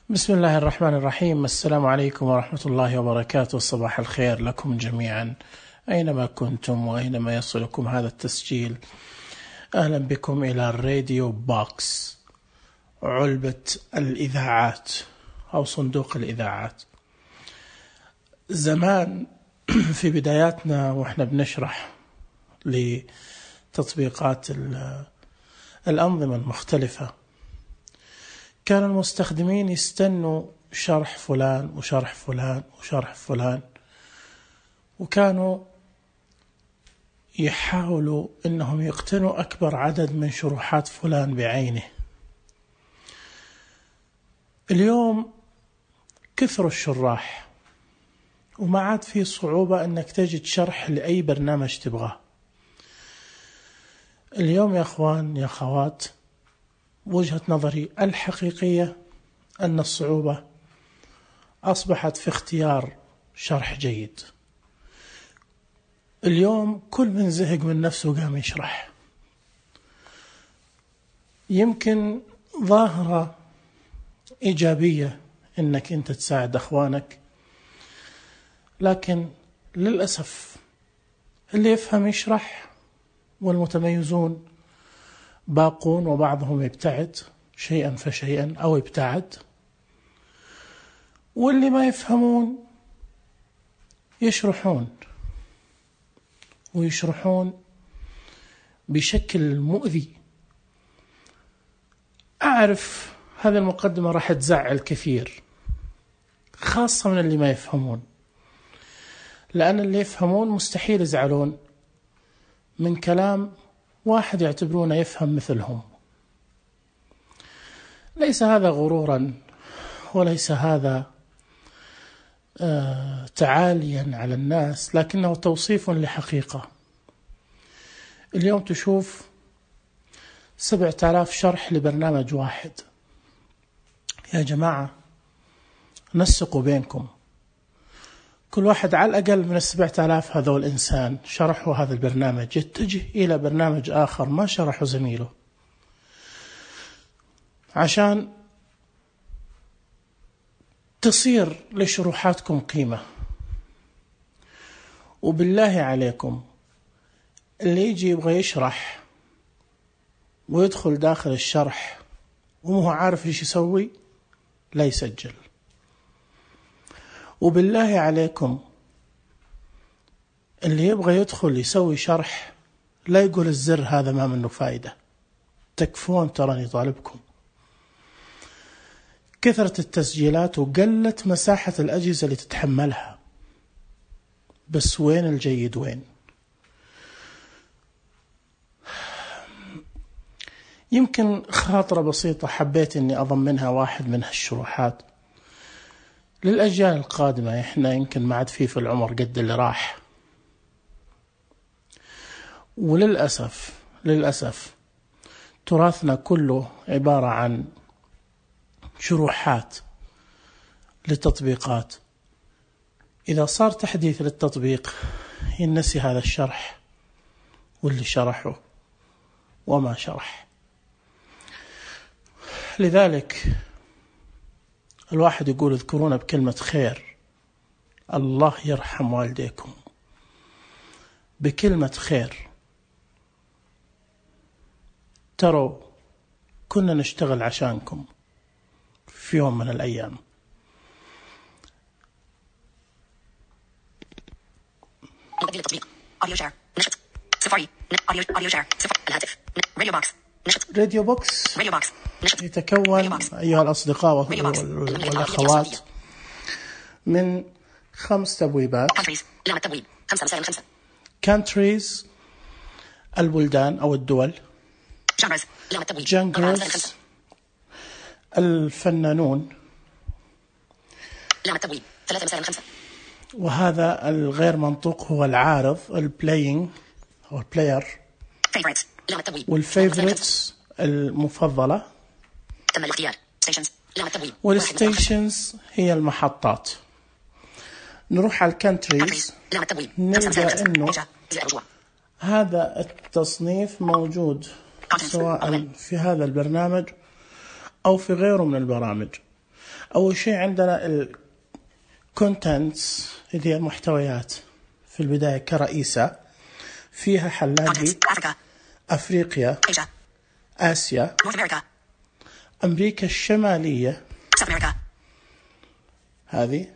بسم الله الرحمن الرحيم. السلام عليكم ورحمة الله وبركاته. صباح الخير لكم جميعا أينما كنتم وأينما يصلكم هذا التسجيل. أهلا بكم إلى الراديو بوكس، علبة الإذاعات أو صندوق الإذاعات. زمان في بداياتنا وإحنا بنشرح لتطبيقات الأنظمة المختلفة، كان المستخدمين يستنوا شرح فلان وشرح فلان وشرح فلان، وكانوا يحاولوا أنهم يقتنوا أكبر عدد من شروحات فلان بعينه. اليوم كثروا الشراح وما عاد في صعوبة أنك تجد شرح لأي برنامج تبغاه. اليوم يا أخوان يا أخوات، وجهة نظري الحقيقية أن الصعوبة أصبحت في اختيار شرح جيد. اليوم كل من زهق من نفسه قام يشرح. يمكن ظاهرة إيجابية أنك أنت تساعد أخوانك، لكن للأسف اللي يفهم يشرح والمتميزون باقون، وبعضهم يبتعد شيئا فشيئا أو يبتعد، واللي ما يفهمون يشرحون ويشرحون بشكل مؤذي. أعرف هذه المقدمة راح تزعل كثير، خاصة من اللي ما يفهمون، لأن اللي يفهمون مستحيل يزعلون من كلام واحد يعتبرونه يفهم مثلهم. ليس هذا غرورا وليس هذا تعاليا على الناس، لكنه توصيف لحقيقة. اليوم تشوف 7000 شرح لبرنامج واحد. يا جماعة نسقوا بينكم، كل واحد على الأقل من 7000 هذول إنسان شرحوا هذا البرنامج يتجه إلى برنامج آخر ما شرحوا زميله، عشان تصير لشروحاتكم قيمة. وبالله عليكم اللي يجي يبغى يشرح ويدخل داخل الشرح ومو عارف إيش يسوي لا يسجل. وبالله عليكم اللي يبغى يدخل يسوي شرح لا يقول الزر هذا ما منه فايدة. تكفون تراني طالبكم. كثرة التسجيلات وقلت مساحة الأجهزة اللي تتحملها، بس وين الجيد وين؟ يمكن خاطرة بسيطة حبيت أني أضمنها واحد من هالشروحات للأجيال القادمة. إحنا يمكن ما عاد في العمر قد اللي راح، وللأسف تراثنا كله عبارة عن شروحات للتطبيقات. إذا صار تحديث للتطبيق ينسي هذا الشرح واللي شرحه وما شرح. لذلك الواحد يقول اذكرونا بكلمة خير، الله يرحم والديكم، بكلمة خير. تروا كنا نشتغل عشانكم في يوم من الأيام. راديو بوكس يتكون أيها الأصدقاء والأخوات من 5 تبويبات. countries البلدان أو الدول. genres الفنانون. وهذا الغير منطوق هو العارض البلاينج أو البلاير. والفيفوريتس المفضلة. والستيشنز هي المحطات. نروح على الكانتريز نلقى أنه هذا التصنيف موجود سواء في هذا البرنامج أو في غيره من البرامج. أول شيء عندنا الكونتنتس اللي هي المحتويات في البداية كرئيسة، فيها حلات أفريقيا، آسيا، أمريكا الشمالية هذه،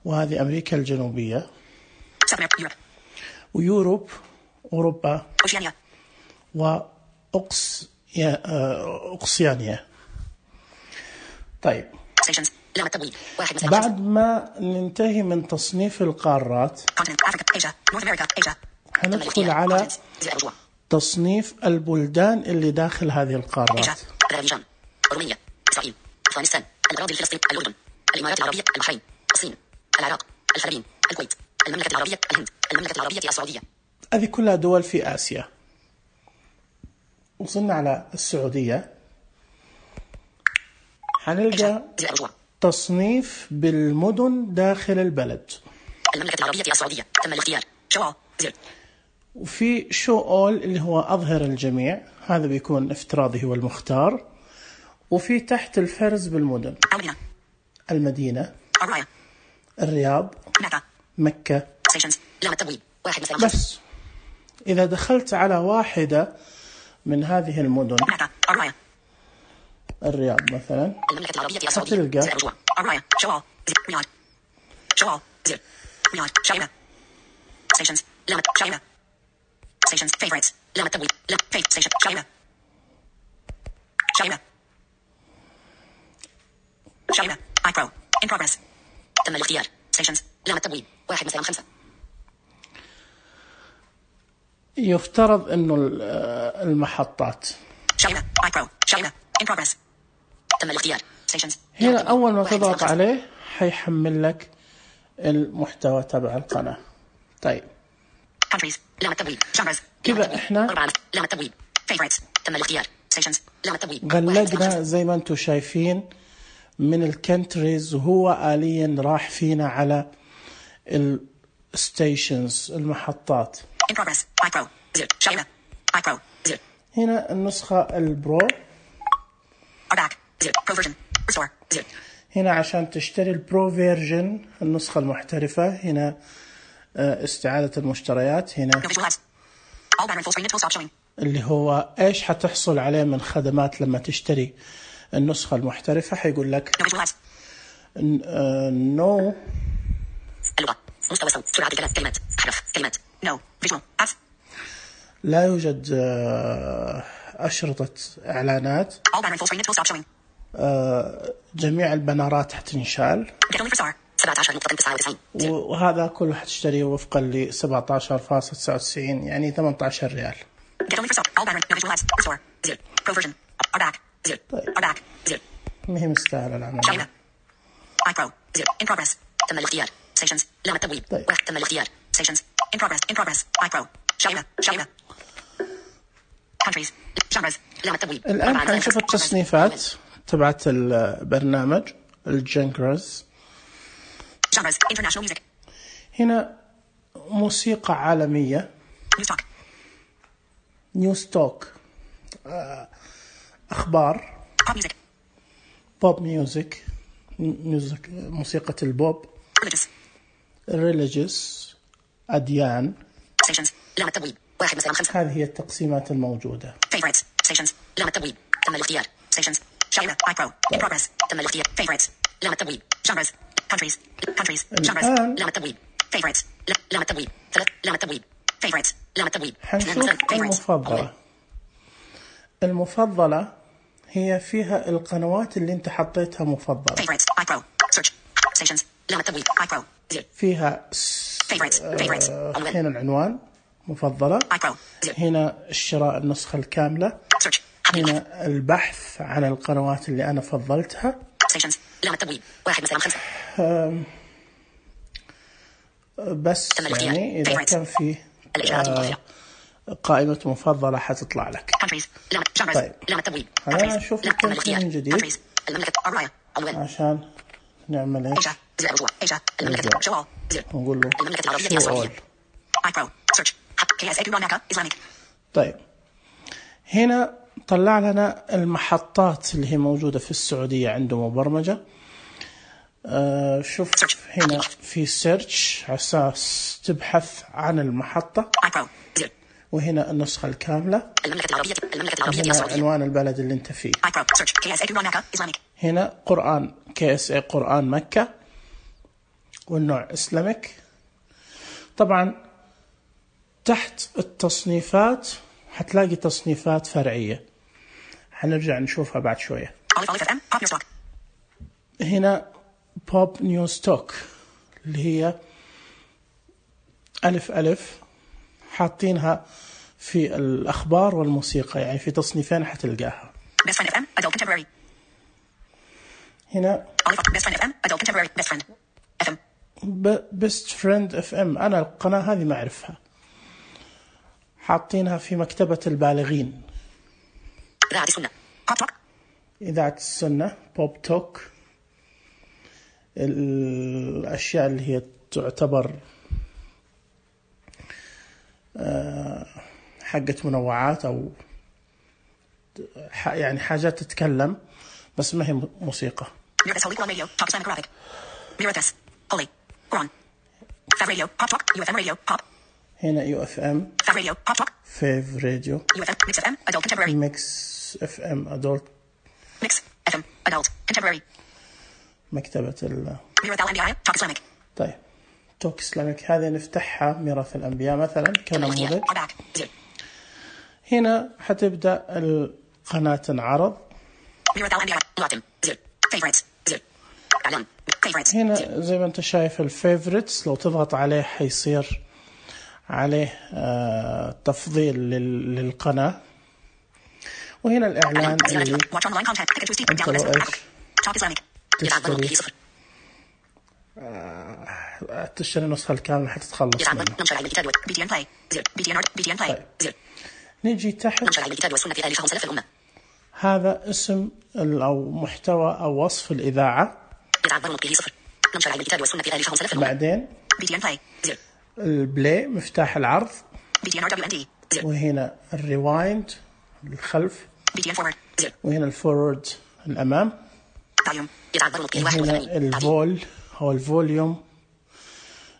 وهذه أمريكا الجنوبية، ويوروب أوروبا، وأقصيانيا. طيب بعد ما ننتهي من تصنيف القارات هندخل على تصنيف البلدان اللي داخل هذه القارات. رومانيا، إسرائيل، أفغانستان، الأراضي الفلسطينية، الأردن، الإمارات العربية، البحرين، الصين، العراق، الفلبين، الكويت، المملكة العربية، الهند، المملكة العربية السعودية. هذه كلها دول في آسيا. وصلنا على السعودية، حنلقى تصنيف بالمدن داخل البلد. المملكة العربية السعودية، تم الاختيار. وفي شو أول اللي هو أظهر الجميع، هذا بيكون افتراضي هو المختار. وفي تحت الفرز بالمدن، المدينة، الرياض، مكة. بس إذا دخلت على واحدة من هذه المدن، الرياض مثلا، هتلقى شايبة I Pro in progress. تم الاختيار. Stations لام التبويب 1/5. يفترض إنه المحطات شايبة I Pro شايبة in progress. تم الاختيار. Stations هنا أول ما تضغط عليه حيحمل لك المحتوى تبع القناة. طيب Countries لام التبويب. Genres كذا إحنا لام التبويب. Favorites تم الاختيار. Stations لام التبويب. غلقنا زي ما أنتم شايفين من الكنتريز، وهو آليا راح فينا على الستيشنز المحطات. In progress. I Pro 0 شايبة I Pro 0. هنا النسخة البرو. Are back 0 Pro version restore 0. هنا عشان تشتري البرو فيرجن النسخة المحترفة، هنا استعادة المشتريات. هنا All banner full screen it will stop showing. اللي هو إيش حتحصل عليه من خدمات لما تشتري النسخة المحترفة. حيقول لك no اللغة مستوى صوت سرعة الكلام كلمات أحرف كلمات no visual apps لا يوجد أشرطة إعلانات. all banner full screen it will stop showing. جميع البنرات حتنشال. get only for star 17.99. وهذا كله حتشتريه وفقا ل 17.99 يعني 18 ريال. get only for star all banner no visual apps restore 0 Pro version are back 0 are back 0. ما هي مستاهلة العمل. شايبة I Pro 0 in progress. تم الاختيار. Stations لام التبويب. طيب. تم الاختيار. Stations in progress I Pro شايبة countries genres لام التبويب. الآن حنشوف التصنيفات تبعت البرنامج الجنرز. genres international music هنا موسيقى عالمية، نيوز توك أخبار، pop music بوب ميوزك موسيقى البوب، religious أديان. Stations لام التبويب 1/5. هذه هي التقسيمات الموجودة. Favorites Stations لام التبويب. تم الاختيار. Stations شايبة I Pro in progress. تم الاختيار. Favorites لام التبويب. Genres countries genres لام التبويب. Favorites لام التبويب 3 لام التبويب. Favorites لام التبويب. حنشوف المفضلة هي فيها القنوات اللي انت حطيتها مفضلة. Favorites I Pro search Stations لام التبويب I Pro 0 فيها Favorites هنا العنوان مفضلة، I Pro 0 هنا الشراء النسخة الكاملة، search هنا البحث عن القنوات اللي أنا فضلتها. Stations لام التبويب 1/5. بس يعني إذا كان في قائمة مفضلة حتطلع لك. طيب خلينا نشوف الكونتين من جديد عشان نعمل ايش. نقول له شو all. طيب هنا طلع لنا المحطات اللي هي موجودة في السعودية عنده مبرمجة. شوف هنا في سيرش على أساس تبحث عن المحطة، وهنا النسخة الكاملة، هنا عنوان البلد اللي انت فيه، هنا قرآن KSA قرآن مكة، والنوع إسلامك. طبعا تحت التصنيفات حتلاقي تصنيفات فرعية، حنرجع نشوفها بعد شوية. هنا بوب نيو ستوك اللي هي ألف حاطينها في الأخبار والموسيقى، يعني في تصنيفين حتلقاها. هنا Best Friend FM، أنا القناة هذه ما أعرفها، حاطينها في مكتبة البالغين. إذاعة السنة بوب توك، الأشياء اللي هي تعتبر حقة منوعات أو يعني حاجات تتكلم بس ما هي موسيقى. هنا UFM Fave Radio Mix FM Adult Contemporary مكتبة طيب توك إسلامك هذه نفتحها ميراث الأنبياء مثلا كنموذج. هنا حتبدأ القناة تنعرض. هنا زي ما انت شايف الفيفوريتس، لو تضغط عليه حيصير عليه تفضيل للقناة. وهنا الإعلان اللي انت لو ايش تشتري النسخة الكاملة حتتخلص منه. طيب. نيجي تحت، هذا اسم أو محتوى أو وصف الإذاعة. بعدين البلاي مفتاح العرض، وهنا الريوايند الخلف، وهنا الفورورد الأمام، وهنا الفول أو الفوليوم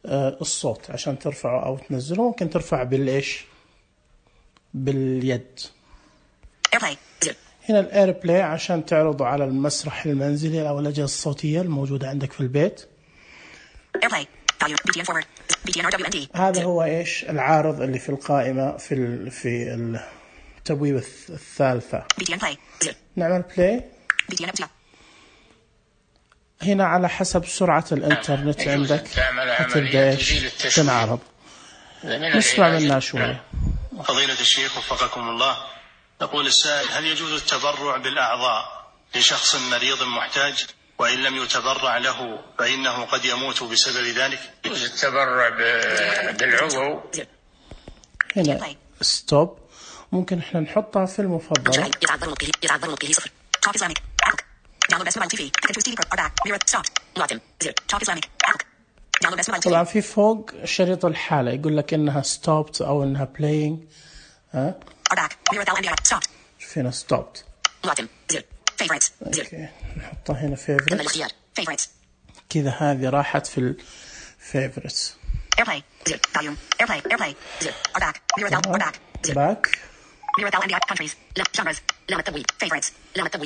الصوت عشان ترفعه أو تنزله. ممكن ترفع بالإيش باليد. هنا الإير بلاي عشان تعرضه على المسرح المنزلي أو الأجهزة الصوتية الموجودة عندك في البيت. هذا هو إيش العارض اللي في القائمة في التبويب الثالثة. نعمل بلاي. هنا على حسب سرعة الإنترنت عندك تبدأ إيش تنعرض. نسمع منها شوية. فضيلة الشيخ وفقكم الله، يقول السائل: هل يجوز التبرع بالأعضاء لشخص مريض محتاج وإن لم يتبرع له فإنه قد يموت بسبب ذلك؟ يجوز التبرع بالعضو. هنا ستوب، ممكن احنا نحطها في المفضلة. طبعا في فوق شريط الحالة يقول لك إنها stopped أو إنها playing. شوف هنا stopped. أوكي. نحطها هنا favorites. كذا هذه راحت في favorites. back.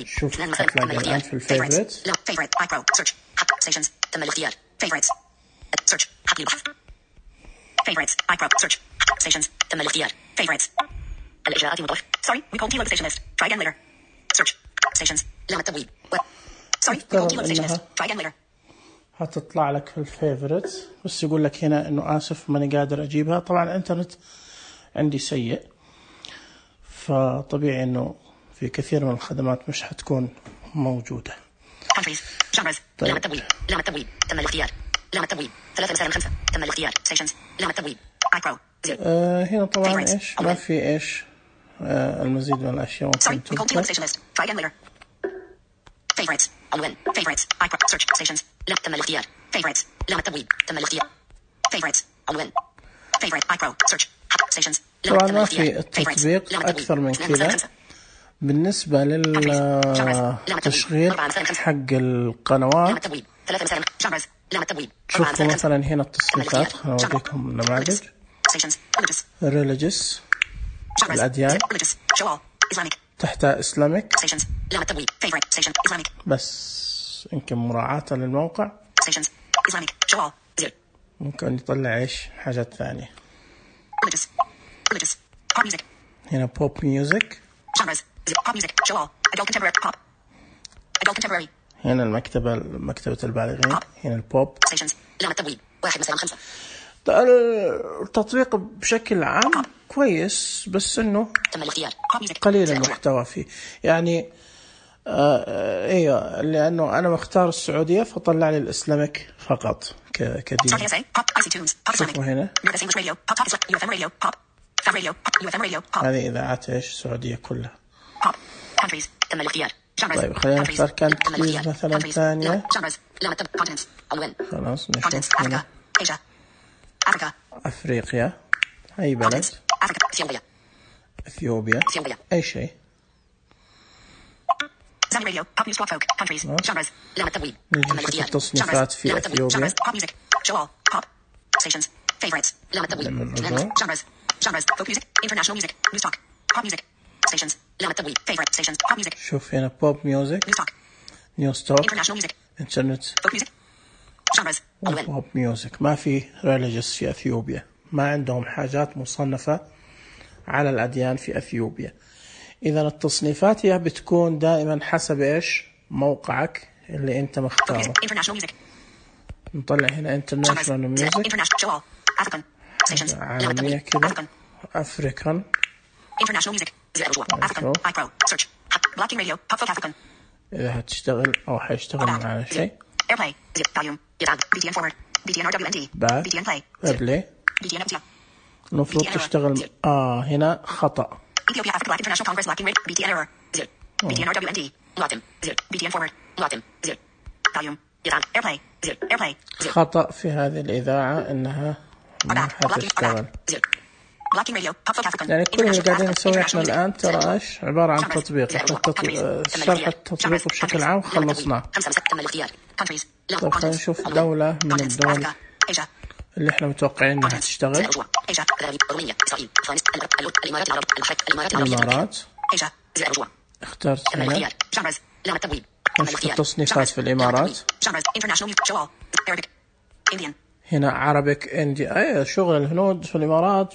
شوف هتلاقي الآن في الفيفوريتس. تم الاختيار. favorites search حقل البحث. favorites iPro search stations تم الاختيار. favorites الإجراءات متوقف. sorry we called the station list. try again later. search stations لام التبويب. sorry we called the station list. try again later. هتطلع لك في الفيفوريتس، بس يقول لك هنا إنه آسف ماني قادر أجيبها. طبعا الإنترنت عندي سيء، فطبيعي إنه في كثير من الخدمات مش حتكون موجودة. countries genres لام التبويب. لام التبويب تم الاختيار. لام التبويب 3 مسائل 5 تم الاختيار. stations لام التبويب iPro. هنا طبعا إيش ما في إيش المزيد من الأشياء ممكن تبقى. try again later. favorites عنوان favorites iPro search stations لام تم الاختيار. favorites لام التبويب تم الاختيار. favorites عنوان favorite iPro search stations طبعا ما في التطبيق أكثر من كذا، بالنسبة للتشغيل حق القنوات شوفوا مثلا هنا التصنيفات، خلينا أوريكم نماذج. Religious الأديان، تحتها Islamic بس يمكن مراعاة للموقع ممكن يطلع إيش حاجات ثانية. هنا Pop Music، هنا مكتبة البالغين، هنا البوب. التطبيق بشكل عام كويس بس إنه قليل المحتوى فيه يعني. ايوه لأنه أنا مختار السعودية فطلع لي الإسلامك فقط كدين. شوفوا هنا هذه إذاعات إيش سعودية كلها. طيب خلينا نختار كانتريز مثلا ثانية. خلاص نشوف هنا أفريقيا، أي بلد، إثيوبيا، أي شيء. نجي نشوف التصنيفات في أثيوبيا. شوف هنا بوب ميوزك، نيوز توك، انترنت، بوب ميوزك. ما في ريليجيوس في أثيوبيا، ما عندهم حاجات مصنفة على الأديان في أثيوبيا. إذا التصنيفات هي بتكون دائما حسب إيش موقعك اللي أنت مختاره. نطلع هنا international music عالمية كده، أفريكان، إذا هتشتغل أو حيشتغل معنا شيء. باك بلاي المفروض تشتغل. هنا خطأ. خطأ في هذه الإذاعة إنها ما حتشتغل. يعني كل اللي قاعدين نسوي إحنا الآن ترى إيش عبارة عن تطبيق. شرح التطبيق بشكل عام خلصناه. طيب خلينا نشوف دولة من الدول اللي إحنا متوقعين إنها تشتغل. الإمارات، اخترت هنا. نشوف التصنيفات في الإمارات. هنا عربيك اندي، أي شغل الهنود في الإمارات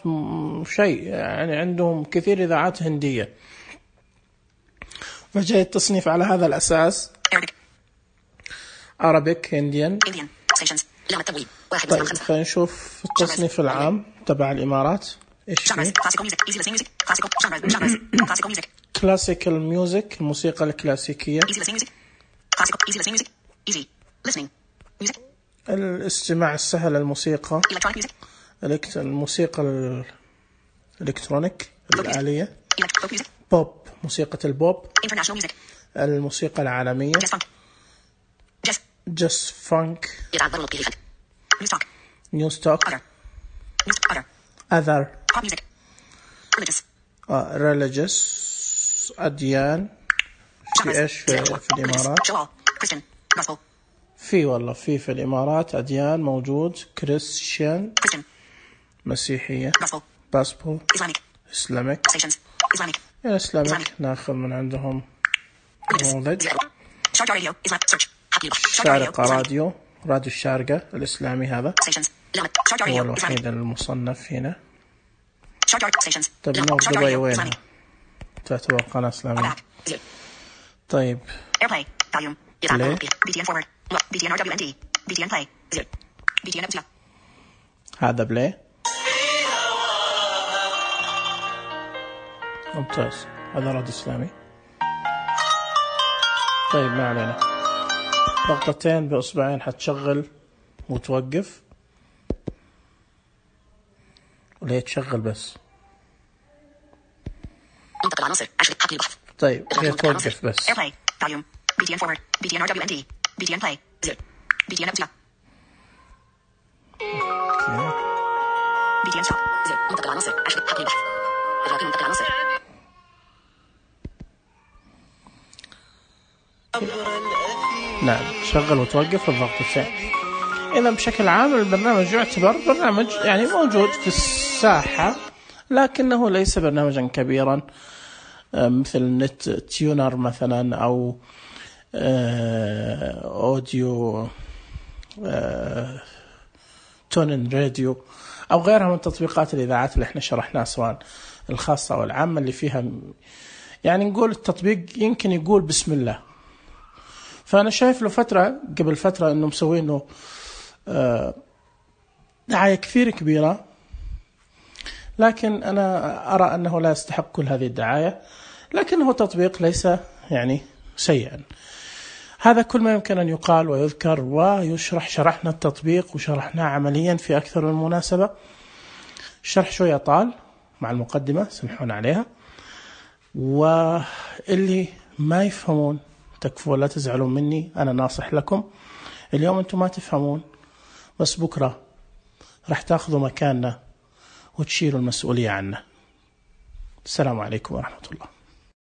شيء يعني، عندهم كثير إذاعات هندية، فجاء التصنيف على هذا الأساس. عربيك هنديان. طيب خلينا نشوف التصنيف العام تبع الإمارات إيش فيه. كلاسيكال ميوزك، الموسيقى الكلاسيكية، الاستماع السهل، الموسيقى الموسيقى الإلكترونيك الآلية، بوب، موسيقى البوب، الموسيقى العالمية، جاز فانك، نيوز توك، other religious أديان. في إيش في الإمارات؟ في والله في الإمارات أديان موجود، كريستيان، مسيحية، باسبول، إسلامك. الإسلامك ناخذ من عندهم نموذج. شارقة راديو الشارقة الإسلامي، هذا هو الوحيد المصنف هنا. طيب دبي وينها؟ تعتبر قناة إسلامية. طيب بلاي. هذا بلاي ممتاز، هذا راديو إسلامي. طيب ما علينا، ضغطتين بإصبعين حتشغل وتوقف، ولا هي تشغل بس؟ طيب هي توقف بس. نعم، شغل وتوقف الضغط الثاني. إذا بشكل عام البرنامج يعتبر برنامج يعني موجود في الساحة، لكنه ليس برنامجا كبيرا مثل نت تيونر مثلا أو أوديو تونن راديو أو غيرها من تطبيقات الإذاعات اللي احنا شرحناها سواء الخاصة أو العامة، اللي فيها يعني نقول التطبيق يمكن يقول بسم الله. فأنا شايف له فترة قبل فترة أنه مسوينه دعاية كثير كبيرة، لكن أنا أرى أنه لا يستحق كل هذه الدعاية، لكنه تطبيق ليس يعني سيئا. هذا كل ما يمكن أن يقال ويذكر ويشرح. شرحنا التطبيق وشرحناه عمليا في أكثر من مناسبة. الشرح شوية طال مع المقدمة، سمحون عليها، واللي ما يفهمون تكفوا، لا تزعلون مني، أنا ناصح لكم. اليوم أنتم ما تفهمون، بس بكرة راح تأخذوا مكاننا وتشيلوا المسؤولية عنا. السلام عليكم ورحمة الله.